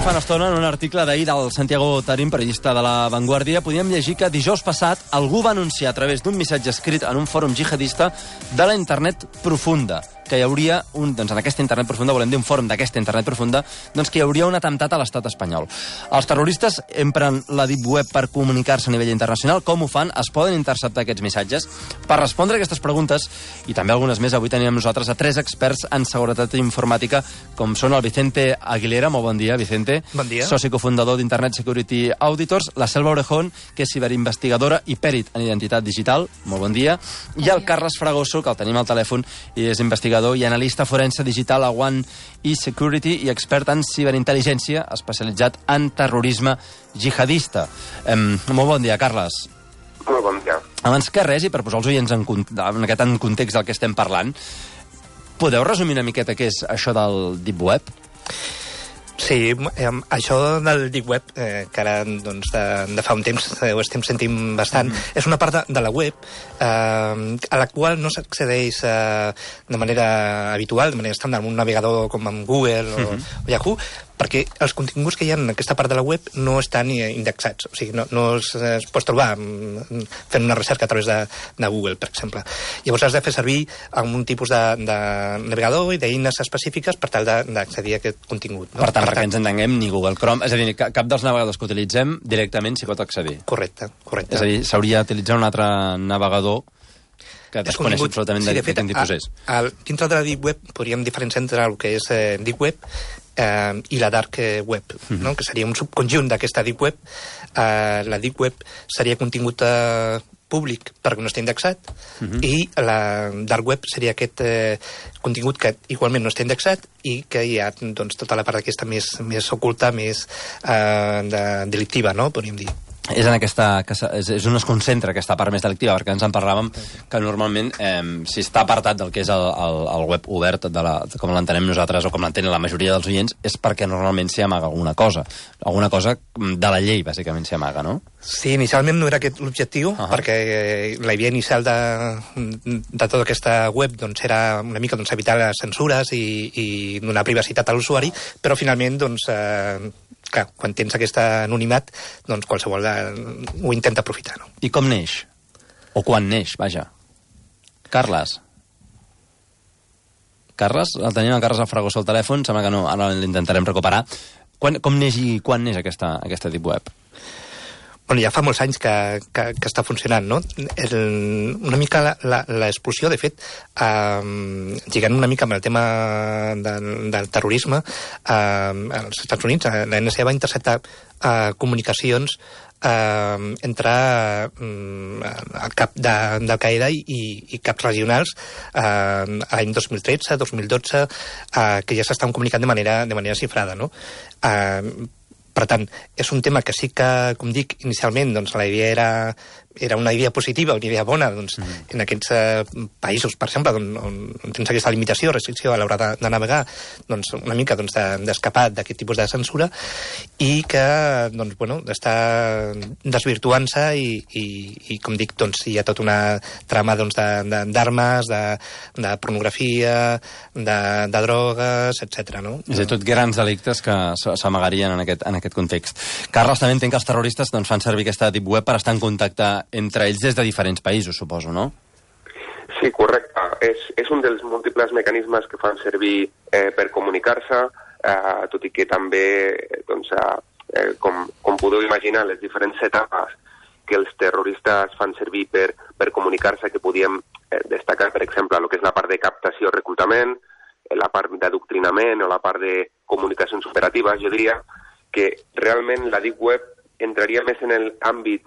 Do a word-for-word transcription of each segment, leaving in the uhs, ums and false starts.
fa una estona, en un article d'ahir del Santiago Tarín, periodista de La Vanguardia, podíem llegir que dijous passat algú va anunciar a través d'un missatge escrit en un fòrum jihadista de la internet profunda, que hi hauria un, doncs en aquesta internet profunda, volem dir un fòrum d'aquesta internet profunda, doncs que hi hauria un atemptat a l'estat espanyol. Els terroristes empren la Deep Web per comunicar-se a nivell internacional. Com ho fan? Es poden interceptar aquests missatges? Per respondre a aquestes preguntes, i també algunes més, avui tenim amb nosaltres a tres experts en seguretat informàtica, com són el Vicente Aguilera. Molt bon dia, Vicente. Bon dia. Soci cofundador d'Internet Security Auditors. La Selva Orejón, que és ciberinvestigadora i pèrit en identitat digital. Molt bon dia. Bon I el dia. Carles Fragoso, que el tenim al telèfon i és investigador i analista forense digital a One e-Security i expert en ciberintel·ligència, especialitzat en terrorisme jihadista. Eh, molt bon dia, Carles. Molt bon dia. Abans que res, i per posar els oients en, en aquest en context del que estem parlant, podeu resumir una miqueta què és això del Deep Web? Sí, eh, això del Deep Web, eh, que ara doncs, de, de fa un temps eh, ho estem sentint bastant, mm. és una part de, de la web eh, a la qual no s'accedeix eh, de manera habitual, de manera estàndard, amb un navegador com amb Google o, mm-hmm. o Yahoo, perquè els continguts que hi ha en aquesta part de la web no estan indexats, o sigui, no, no es, es pot trobar fent una recerca a través de, de Google, per exemple. Llavors has de fer servir un tipus de, de navegador i d'eines específiques per tal d'accedir a aquest contingut. No? Per tant, per perquè ens entenguem, ni Google Chrome, és a dir, cap dels navegadors que utilitzem directament s'hi pot accedir. Correcte, correcte. És a dir, s'hauria d'utilitzar un altre navegador que desconeix absolutament sí, de, de, fet, de quin tipus és. A, a, dintre de la Deep Web podríem diferenciar entre el que és eh, Deep Web eh, i la Dark Web, mm-hmm. no? Que seria un subconjunt d'aquesta Deep Web. Eh, la Deep Web seria contingut eh, públic perquè no està indexat, mm-hmm. i la Dark Web seria aquest eh, contingut que igualment no està indexat i que hi ha doncs, tota la part aquesta més, més oculta, més eh, de, delictiva, no? Podríem dir. És, en aquesta, que és, és on es concentra aquesta part més delictiva, perquè ens en parlàvem que normalment, eh, si està apartat del que és el, el, el web obert, de la, de com l'entenem nosaltres o com l'entenen la majoria dels oients, és perquè normalment s'hi amaga alguna cosa. Alguna cosa de la llei, bàsicament, s'hi amaga, no? Sí, inicialment no era aquest l'objectiu, uh-huh. perquè la idea inicial de, de tota aquesta web doncs, era una mica doncs, evitar les censures i, i donar privacitat a l'usuari, però finalment doncs, eh, clar, quan tens aquest anonimat, doncs qualsevol de, ho intenta aprofitar. No? I com neix? O quan neix, vaja. Carles? Carles? El tenim a Carles Fragoso al telèfon, sembla que no, ara l'intentarem recuperar. Quan, com neix i quan neix aquesta, aquesta Deep Web? Bueno, ja fa molts anys que, que, que està funcionant, no? El, una mica l'explosió, de fet, eh, lligant una mica amb el tema del, del terrorisme, eh, als Estats Units, la N S A va interceptar eh, comunicacions eh, entre eh, el cap de, d'Al-Qaeda i, i caps regionals eh, l'any dos mil tretze, dos mil dotze, eh, que ja s'estan comunicant de manera, de manera cifrada, no? Eh, Per tant, és un tema que sí que, com dic, inicialment, doncs, la idea era, era una idea positiva, una idea bona, doncs, mm. en aquests eh, països, per exemple, on, on, on tens aquesta limitació, restricció a l'hora de, de navegar, doncs, una mica doncs, de, d'escapar d'aquest tipus de censura, i que, doncs, bueno, està desvirtuant-se i, i, i, com dic, doncs, hi ha tota una trama doncs, de, de, d'armes, de, de pornografia, de, de drogues, etcètera. No? És a dir, tot grans delictes que s'amagarien en aquest, en aquest context. Carles, també entenc que els terroristes doncs, fan servir aquesta Deep Web per estar en contacte entre ells des de diferents països, suposo, no? Sí, correcte. És, és un dels múltiples mecanismes que fan servir eh, per comunicar-se, eh, tot i que també, doncs, eh, com, com podeu imaginar, les diferents etapes que els terroristes fan servir per, per comunicar-se, que podíem eh, destacar, per exemple, el que és la part de captació, reclutament, la part d'adoctrinament o la part de comunicacions operatives, jo diria que realment la Deep Web entraria més en l'àmbit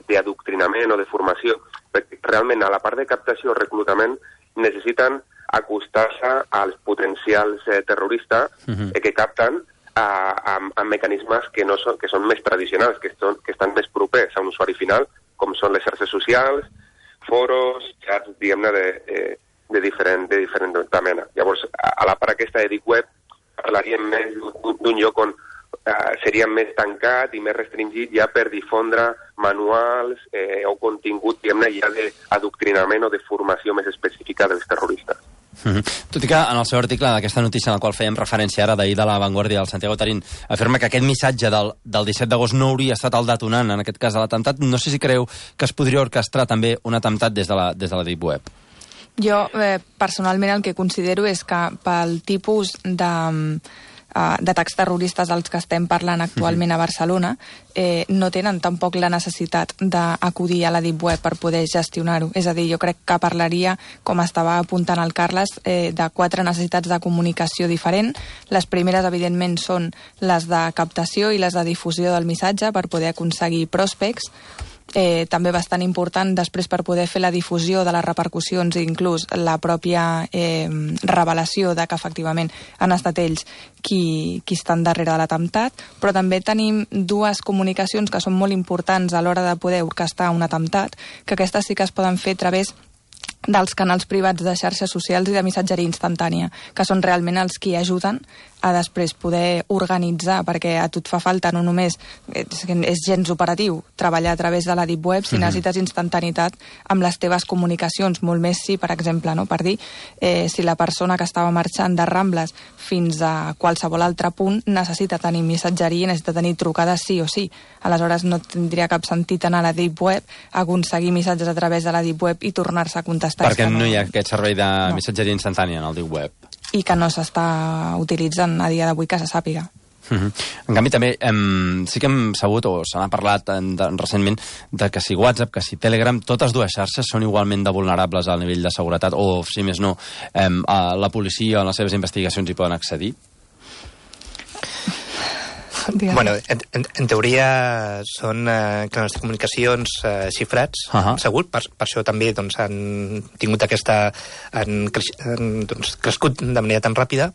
d'adoctrinament o de formació, perquè realment a la part de captació o reclutament necessiten acostar-se als potencials eh, terroristes uh-huh. eh, que capten a, a, a mecanismes que, no són, que són més tradicionals, que, són, que estan més propers a un usuari final, com són les xarxes socials, foros, xats, diguem-ne, de, de, de, diferent, de diferent mena. Llavors, a, a la part aquesta de Deep Web parlaríem més d'un lloc on Uh, seria més tancat i més restringit ja per difondre manuals eh, o contingut, diguem-ne, ja d'adoctrinament o de formació més específica dels terroristes. Mm-hmm. Tot i que en el seu article d'aquesta notícia en la qual fèiem referència ara d'ahir de La Vanguardia, el Santiago Tarín afirma que aquest missatge del, del disset d'agost no hauria estat el detonant, en aquest cas, de l'atemptat. No sé si creu que es podria orquestrar també un atemptat des de la, des de la Deep Web. Jo, eh, personalment, el que considero és que pel tipus de... d'atacs terroristes dels que estem parlant actualment a Barcelona, eh, no tenen tampoc la necessitat d'acudir a la Deep Web per poder gestionar-ho. És a dir, jo crec que parlaria, com estava apuntant el Carles, eh, de quatre necessitats de comunicació diferent. Les primeres, evidentment, són les de captació i les de difusió del missatge per poder aconseguir prospects. Eh, també bastant important després per poder fer la difusió de les repercussions i inclús la pròpia eh, revelació de que efectivament han estat ells qui, qui estan darrere de l'atemptat, però també tenim dues comunicacions que són molt importants a l'hora de poder orquestar un atemptat, que aquestes sí que es poden fer a través dels canals privats de xarxes socials i de missatgeria instantània, que són realment els que ajuden a després poder organitzar, perquè a tu et fa falta no només, és, és gens operatiu, treballar a través de la Deep Web, si mm-hmm. necessites instantanitat amb les teves comunicacions, molt més si, per exemple, no, per dir, eh, si la persona que estava marxant de Rambles fins a qualsevol altre punt necessita tenir missatgeria i necessita tenir trucades sí o sí. Aleshores no tindria cap sentit anar a la Deep Web, aconseguir missatges a través de la Deep Web i tornar-se a contestar. Perquè no, no hi ha aquest servei de no. missatgeria instantània en el Deep Web. I que no s'està utilitzant a dia d'avui que se sàpiga. Uh-huh. En canvi, també em, sí que hem sabut, o se n'ha parlat en, de, recentment, de que si WhatsApp, que si Telegram, totes dues xarxes són igualment de vulnerables al nivell de seguretat, o, si més no, em, a la policia o en les seves investigacions hi poden accedir? Bueno, en, en, en teoria són eh, canals de comunicacions eh, xifrats, uh-huh. segur, per, per això també doncs, han tingut aquesta... han, creix, han doncs, crescut de manera tan ràpida,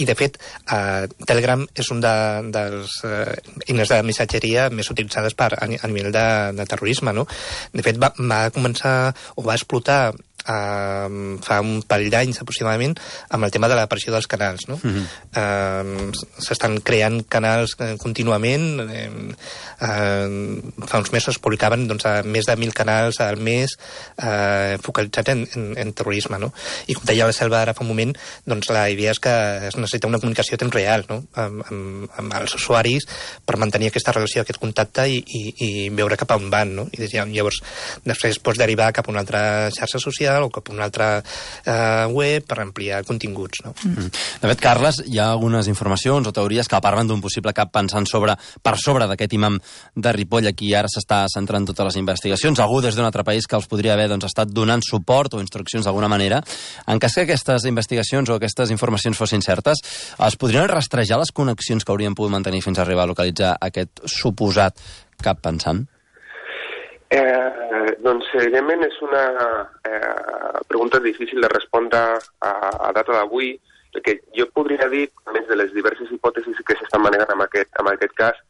i de fet eh, Telegram és un de, dels eh, eines de missatgeria més utilitzades per, a, a nivell de, de terrorisme, no? De fet va, va començar, o va explotar Uh, fa un parell d'anys aproximadament amb el tema de l'aparició dels canals, no? Uh-huh. uh, s'estan creant canals contínuament, eh, uh, fa uns mesos publicaven doncs, més de mil canals al mes uh, focalitzats en, en, en terrorisme, no? I com deia la Selva ara fa un moment, doncs la idea és que es necessita una comunicació a temps real, no? amb, amb, amb els usuaris per mantenir aquesta relació, aquest contacte i, i, i veure cap a on van, no? I llavors després pots derivar cap a una altra xarxa social o cap a una altra eh, web per ampliar continguts, no? Mm. De fet, Carles, hi ha algunes informacions o teories que parlen d'un possible cap pensant sobre, per sobre d'aquest imam de Ripoll, aquí ara s'està centrant totes les investigacions, algú des d'un altre país que els podria haver doncs, estat donant suport o instruccions d'alguna manera. En cas que aquestes investigacions o aquestes informacions fossin certes, es podrien rastrejar les connexions que haurien pogut mantenir fins a arribar a localitzar aquest suposat cap pensant? Eh, doncs, evidentment, és una eh, pregunta difícil de respondre a, a data d'avui, perquè jo podria dir, a més de les diverses hipòtesis que s'estan manejant en aquest, en aquest cas,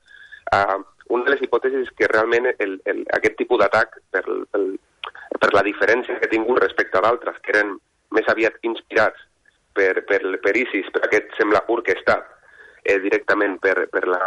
eh, una de les hipòtesis és que realment el, el, aquest tipus d'atac, per, per, per la diferència que ha tingut respecte a d'altres, que eren més aviat inspirats per, per, per ISIS, però aquest sembla orquestat eh, directament per, per la...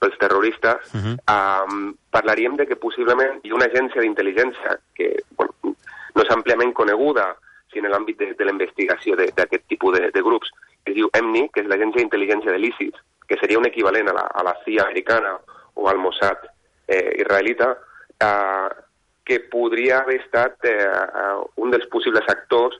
pels terroristes, uh-huh. um, parlaríem de que possiblement hi ha una agència d'intel·ligència que bueno, no és àmpliament coneguda si en l'àmbit de, de la investigació d'aquest tipus de, de grups, que es diu E M N I, que és l'agència d'intel·ligència de l'ISIS, que seria un equivalent a la, a la C I A americana o al Mossad eh, israelita, uh, que podria haver estat eh, uh, un dels possibles actors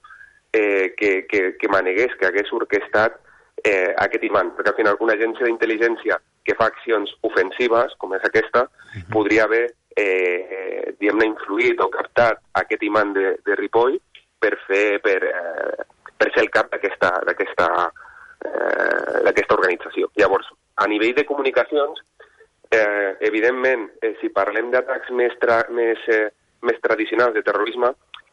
eh, que, que, que manegués, que hagués orquestat eh, aquest imant, perquè al final una agència d'intel·ligència que fa accions ofensives, com és aquesta, uh-huh. podria haver eh, diguem-ne, influït o captat aquest imant de, de Ripoll per fer per, eh, per ser el cap d'aquesta d'aquesta eh, d'aquesta organització. Llavors, a nivell de comunicacions, eh, evidentment, eh, si parlem d'atacs més, tra més, eh, més tradicionals de terrorisme,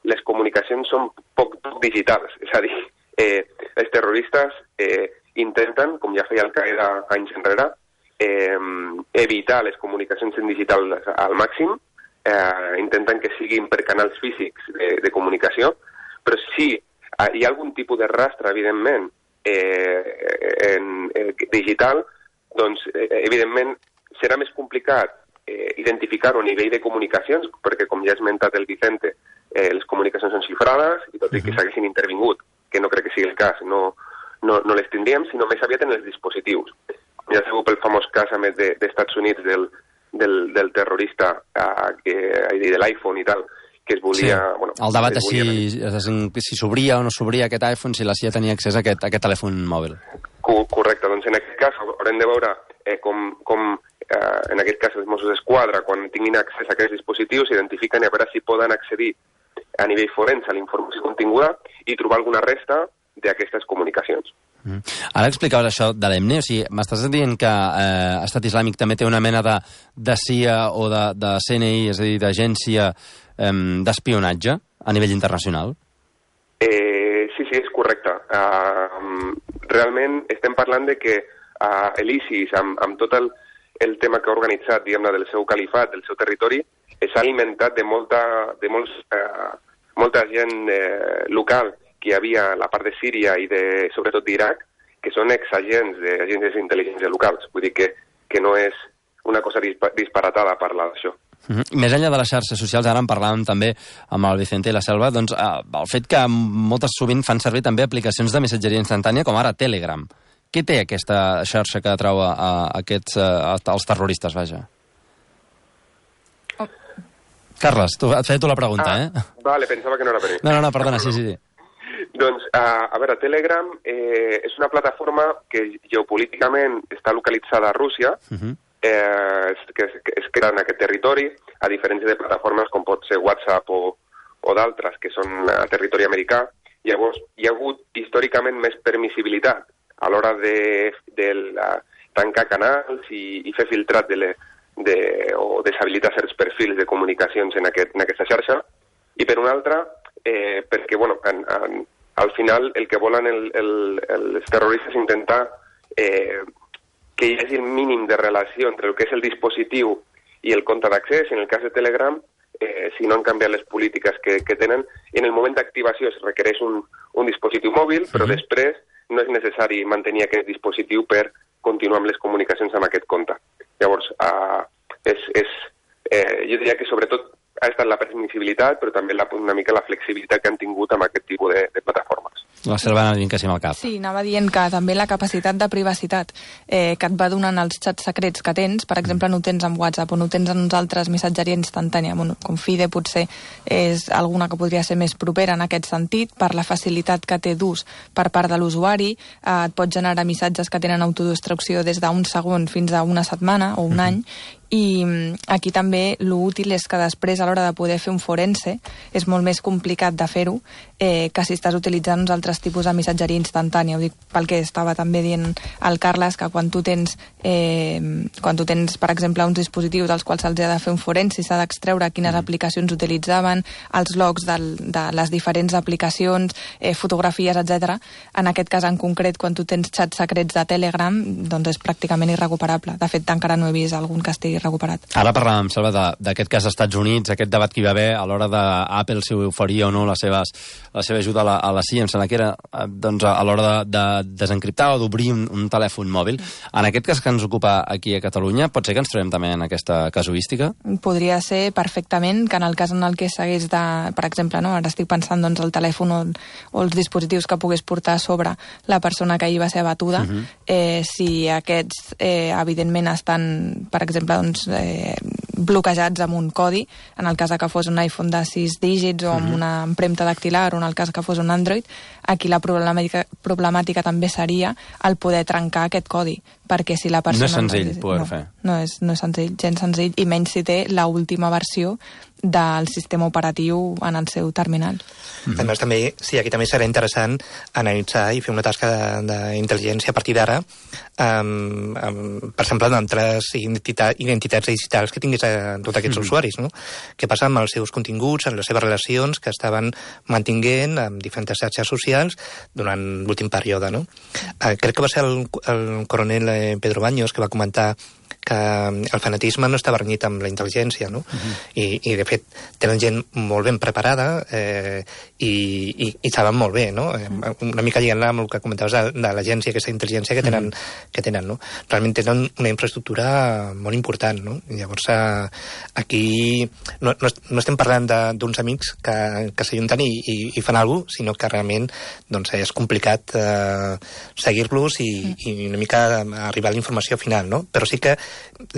les comunicacions són poc, poc digitals, és a dir, eh, els terroristes eh, intenten, com ja feia Al-Qaeda anys enrere, Eh, evitar les comunicacions en digital al màxim, eh, intenten que siguin per canals físics de, de comunicació, però si hi ha algun tipus de rastre, evidentment, eh, en, en digital, doncs, eh, evidentment, serà més complicat eh, identificar-ho a nivell de comunicacions, perquè, com ja ha esmentat el Vicente, eh, les comunicacions són xifrades, i tot i que s'haguessin intervingut que no crec que sigui el cas, no, no, no les tindríem, sinó més aviat en els dispositius. Ja sabeu pel famós cas, a més, de, d'Estats Units, del, del, del terrorista, uh, que, de l'iPhone i tal, que es volia... Sí. Bueno, el debat es si, volia... si s'obria o no s'obria aquest iPhone, si la C I A tenia accés a aquest, a aquest telèfon mòbil. Correcte, doncs en aquest cas haurem de veure eh, com, com eh, en aquest cas els Mossos d'Esquadra, quan tinguin accés a aquests dispositius, s'identifiquen i a veure si poden accedir a nivell forense a la informació continguda i trobar alguna resta d'aquestes comunicacions. Mm. Ara explicaves això de l'E M N E, o sigui, m'estàs dient que eh, Estat Islàmic també té una mena de, de C I A o de, de C N I, és a dir, d'agència eh, d'espionatge a nivell internacional? Eh, sí, sí, és correcte. Uh, realment estem parlant de que uh, l'ISIS, amb, amb tot el, el tema que ha organitzat, diguem-ne, del seu califat, del seu territori, s'ha alimentat de molta, de molts, uh, molta gent uh, local que hi havia a la part de Síria i de, sobretot d'Iraq, que són exagents d'agències d'intel·ligència locals. Vull dir que, que no és una cosa dispa disparatada parlar d'això. Mm-hmm. Més enllà de les xarxes socials, ara en parlàvem també amb el Vicente i la Selva, doncs eh, el fet que moltes sovint fan servir també aplicacions de missatgeria instantània, com ara Telegram. Què té aquesta xarxa que atrau a, a aquests, a, als terroristes, vaja? Oh. Carles, tu, et feia tu la pregunta, ah, eh? Vale, pensava que no era per mi. No, no, no, perdona, sí, sí, sí. Doncs, uh, a veure, Telegram eh, és una plataforma que geopolíticament està localitzada a Rússia, uh-huh. eh, que, es, que es crea en aquest territori, a diferència de plataformes com pot ser WhatsApp o, o d'altres, que són a territori americà. Llavors, hi ha hagut històricament més permissibilitat a l'hora de, de la, tancar canals i, i fer filtrat de, le, de, o deshabilitar certs perfils de comunicacions en, aquest, en aquesta xarxa. I per una altra, eh, perquè, bueno, en, en, al final el que volen el, el, els terroristes és intentar eh, que hi hagi el mínim de relació entre el que és el dispositiu i el compte d'accés. En el cas de Telegram, eh, si no han canviat les polítiques que, que tenen, en el moment d'activació es requereix un, un dispositiu mòbil, però després no és necessari mantenir aquest dispositiu per continuar amb les comunicacions amb aquest compte. Llavors, eh, és, és, eh, jo diria que sobretot ha estat la permissibilitat, però també la, una mica la flexibilitat que han tingut amb aquest tipus de, de plataformes. La Selva anava dient que sí amb el cap. Sí, anava dient que també la capacitat de privacitat eh, que et va donant els xats secrets que tens, per exemple, no ho tens amb WhatsApp o no ho tens en uns altres missatgeria instantània, bueno, com Fide potser és alguna que podria ser més propera en aquest sentit, per la facilitat que té d'ús per part de l'usuari, eh, et pot generar missatges que tenen autodestrucció des d'un segon fins a una setmana o un mm-hmm. any, i aquí també l'útil és que després a l'hora de poder fer un forense és molt més complicat de fer-ho eh, que si estàs utilitzant uns altres tipus de missatgeria instantània. Ho dic pel que estava també dient el Carles, que quan tu tens eh, quan tu tens, per exemple, uns dispositius als quals se'ls ha de fer un forense i s'ha d'extreure quines mm. aplicacions utilitzaven, els logs del, de les diferents aplicacions, eh, fotografies, etcètera. En aquest cas en concret, quan tu tens xats secrets de Telegram, doncs és pràcticament irrecuperable. De fet, encara no he vist algun que estigui recuperat. Ara parlàvem, Salva, d'aquest cas als Estats Units, aquest debat que hi va haver a l'hora d'Apple, si oferia o no les seves, la seva ajuda a la, a la C I A, em sembla que era doncs, a l'hora de, de desencriptar o d'obrir un, un telèfon mòbil. En aquest cas que ens ocupa aquí a Catalunya, pot ser que ens trobem també en aquesta casuística? Podria ser perfectament que en el cas en el que s'hagués de, per exemple, no? Ara estic pensant doncs, el telèfon o, o els dispositius que pogués portar a sobre la persona que ahir va ser abatuda, uh-huh. eh, si aquests eh, evidentment estan, per exemple, doncs, eh, bloquejats amb un codi, en el cas que fos un iPhone de sis dígits o amb una empremta dactilar, o en el cas que fos un Android, aquí la problemàtica, problemàtica també seria el poder trencar aquest codi, perquè si la persona... No és senzill no, poder no, fer. No és, no és senzill, gens senzill, i menys si té l'última versió del sistema operatiu en el seu terminal. Mm-hmm. A més, també, sí, aquí també serà interessant analitzar i fer una tasca d'intel·ligència a partir d'ara, um, um, per exemple, d'altres identitat, identitats digitals que tingués a tots aquests mm-hmm. usuaris, no? Què passa amb els seus continguts, amb les seves relacions que estaven mantinguent amb diferents xarxes socials durant l'últim període, no? Uh, crec que va ser el, el coronel Pedro Baños que va comentar que el fanatisme no està barnyit amb la intel·ligència, no? Uh-huh. I, I, de fet, tenen gent molt ben preparada eh, i, i, i saben molt bé, no? Uh-huh. Una mica lligant amb el que comentaves de, de l'agència, aquesta intel·ligència que tenen, uh-huh. que tenen, no? Realment tenen una infraestructura molt important, no? I llavors, eh, aquí no, no, no estem parlant d'uns amics que, que s'ajunten i, i, i fan alguna cosa, sinó que realment doncs, és complicat eh, seguir-los i, uh-huh. i una mica arribar a la informació final, no? Però sí que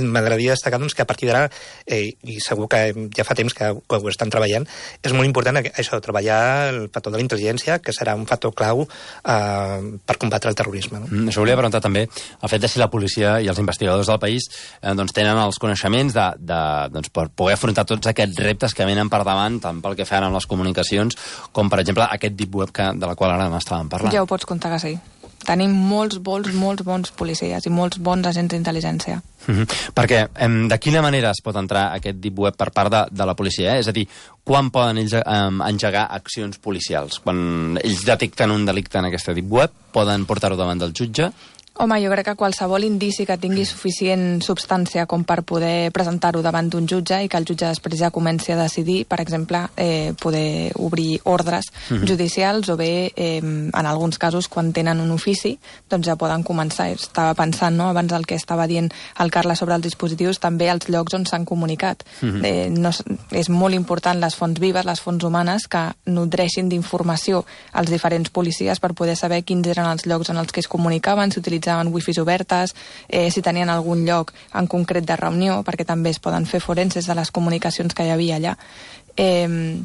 m'agradaria destacar doncs, que a partir d'ara, eh, i segur que ja fa temps que, que ho estan treballant, és molt important això, treballar el factor de la intel·ligència, que serà un factor clau eh, per combatre el terrorisme. No? Mm, això volia preguntar també, el fet de si la policia i els investigadors del país eh, doncs, tenen els coneixements de, de, doncs, per poder afrontar tots aquests reptes que venen per davant, tant pel que fan amb les comunicacions, com per exemple aquest deep web que, de la qual ara n'estàvem parlant. Ja ho pots comptar que sí. Tenim molts, molts, molts bons policies i molts bons agents d'intel·ligència. Mm-hmm. Perquè em, de quina manera es pot entrar aquest deep web per part de, de la policia? Eh? És a dir, quan poden ells em, engegar accions policials? Quan ells detecten un delicte en aquesta deep web, poden portar-ho davant del jutge? Home, jo crec que qualsevol indici que tingui suficient substància com per poder presentar-ho davant d'un jutge i que el jutge després ja comenci a decidir, per exemple, eh, poder obrir ordres mm-hmm. judicials o bé, eh, en alguns casos, quan tenen un ofici, doncs ja poden començar. Estava pensant, no?, abans del que estava dient el Carles sobre els dispositius, també els llocs on s'han comunicat. Mm-hmm. eh, no, és molt important les fonts vives, les fonts humanes, que nodreixin d'informació als diferents policies per poder saber quins eren els llocs en els que es comunicaven, si utilitzaven wifis obertes, eh, si tenien algun lloc en concret de reunió, perquè també es poden fer forenses de les comunicacions que hi havia allà. Eh,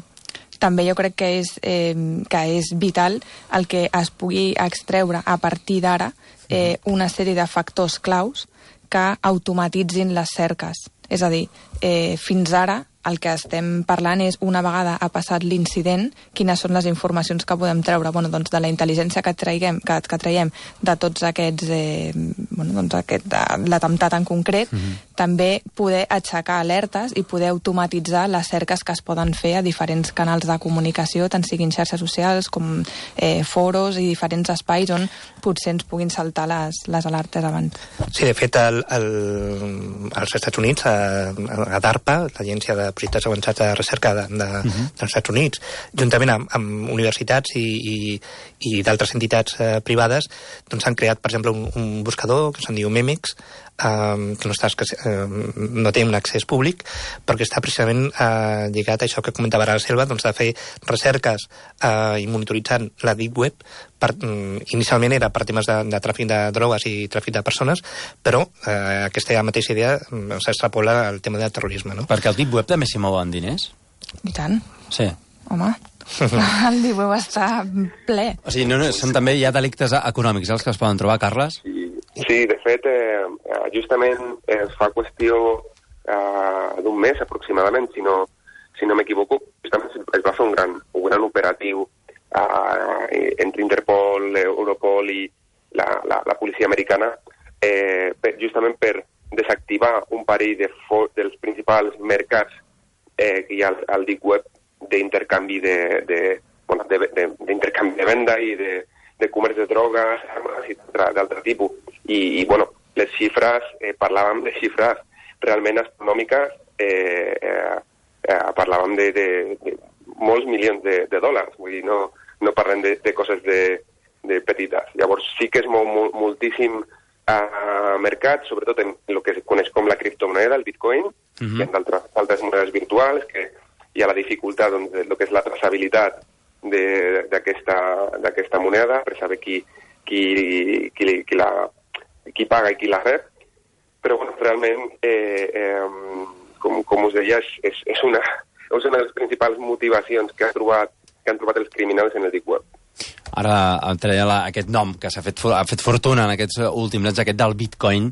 també jo crec que és, eh, que és vital el que es pugui extreure a partir d'ara eh, una sèrie de factors claus que automatitzin les cerques. És a dir, eh, fins ara el que estem parlant és, una vegada ha passat l'incident, quines són les informacions que podem treure, bueno, doncs de la intel·ligència que traiguem, que, que traiem de tots aquests, eh, bueno, doncs aquest, l'atemptat en concret, mm-hmm. també poder aixecar alertes i poder automatitzar les cerques que es poden fer a diferents canals de comunicació, tant siguin xarxes socials com eh, foros i diferents espais on potser ens puguin saltar les, les alertes abans. Sí, de fet, el, el, als Estats Units, a, a DARPA, l'agència de projectes avançats de recerca de, de, uh-huh. dels Estats Units, juntament amb, amb universitats i, i, i d'altres entitats eh, privades, doncs han creat, per exemple, un, un buscador que se'n diu Memex, eh, que no, està, eh, no té un accés públic, perquè està precisament eh, lligat a això que comentava ara la Selva, doncs de fer recerques eh, i monitoritzant la Deep Web. Per, inicialment era per temes de, de tràfic de drogues i tràfic de persones, però eh, aquesta mateixa idea s'extrapola al tema del terrorisme, no? Perquè el Deep Web també s'hi mouen diners? I tant. Sí. Home, el Deep Web està ple. O sigui, no, no, són també hi ha delictes econòmics els que es poden trobar, Carles? Sí, sí, de fet, eh, justament eh, fa qüestió eh, d'un mes aproximadament, si no, si no m'equivoco, justament es va fer un gran, un gran operatiu Uh, entre Interpol, Europol i la, la, la policia americana, eh, per, justament per desactivar un parell de dels principals mercats eh, que hi ha al, al Deep Web d'intercanvi de, de, bueno, de, de, d'intercanvi de venda i de, de comerç de drogues, armes i d'altre tipus. I, i bueno, les xifres, eh, parlàvem de xifres realment astronòmiques, eh, eh, eh, parlàvem de, de, de molts milions de, de dòlars, vull dir, no, no parlem de, de coses de, de petites. Llavors sí que es mou mol, moltíssim a mercat, sobretot en el que es coneix com la criptomoneda, el bitcoin, uh-huh. i en d'altres, altres monedes virtuals, que hi ha la dificultat doncs, de lo que és la traçabilitat d'aquesta moneda, per saber qui, qui, qui, qui, la, qui paga i qui la rep. Però bueno, realment, eh, eh, com, com us deia, és, és, és una... és una de les principals motivacions que, ha trobat, que han trobat els criminals en el Deep Web. Ara em treia la, aquest nom que s'ha fet, ha fet fortuna en aquests últims anys, aquest del Bitcoin.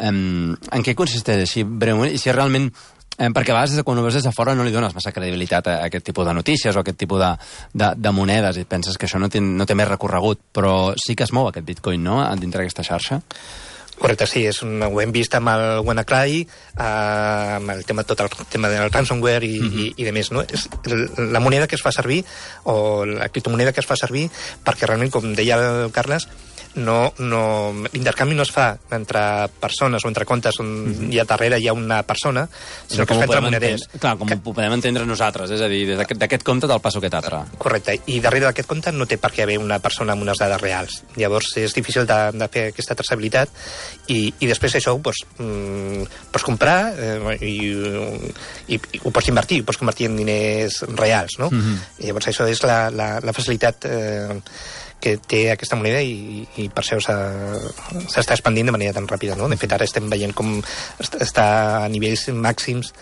Um, en què consisteix així breument? I si realment, um, perquè a vegades quan ho veus des de fora no li dones massa credibilitat a aquest tipus de notícies o a aquest tipus de, de, de monedes i penses que això no té, no té més recorregut, però sí que es mou aquest Bitcoin, no?, dintre d'aquesta xarxa. Correcte, sí, és un, ho hem vist amb el WannaCry, eh, amb el tema, tot el tema del ransomware i, mm-hmm. i, i de més, no? És la moneda que es fa servir, o la criptomoneda que es fa servir, perquè realment, com deia el Carles, no, no, l'intercanvi no es fa entre persones o entre comptes on mm-hmm. hi ha darrere hi ha una persona, sinó que es fa entre moneders. Clar, com que... ho podem entendre nosaltres, és a dir, d'aquest compte te'l passo aquest altre. Correcte, i darrere d'aquest compte no té per què haver una persona amb unes dades reals. Llavors és difícil de, de fer aquesta traçabilitat i, i després això ho pots, mm, pots comprar eh, i, i, i ho pots invertir, ho pots convertir en diners reals, no? Mm-hmm. I llavors això és la, la, la facilitat eh, que té aquesta moneda i, i per això s'està expandint de manera tan ràpida, no? De fet, ara estem veient com està a nivells màxims,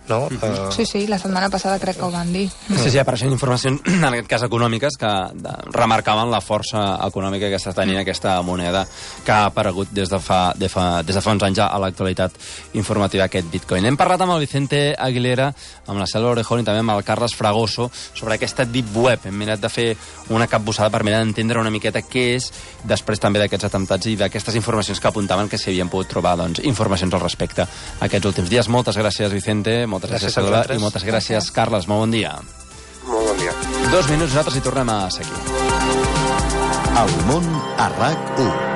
no? Mm-hmm. Uh... Sí, sí, la setmana passada crec que ho van dir. Sí, sí, apareixen informacions, en aquest cas econòmiques, que de, remarcaven la força econòmica que està tenint aquesta moneda que ha aparegut des de fa, de fa, des de fa uns anys a l'actualitat informativa aquest Bitcoin. Hem parlat amb el Vicente Aguilera, amb la Cèl·lula Orejón i també amb el Carles Fragoso sobre aquesta Deep Web. Hem mirat de fer una capbussada per mirar d'entendre una miqueta què és, després també d'aquests atemptats i d'aquestes informacions que apuntaven que s'hi havien pogut trobar doncs, informacions al respecte aquests últims dies. Moltes gràcies, Vicente, moltes gràcies, gràcies Cèl·lula, i moltes gràcies, Carles. Molt bon dia. Molt bon dia. Dos minuts, nosaltres hi tornem a seguir. El món a RAC u.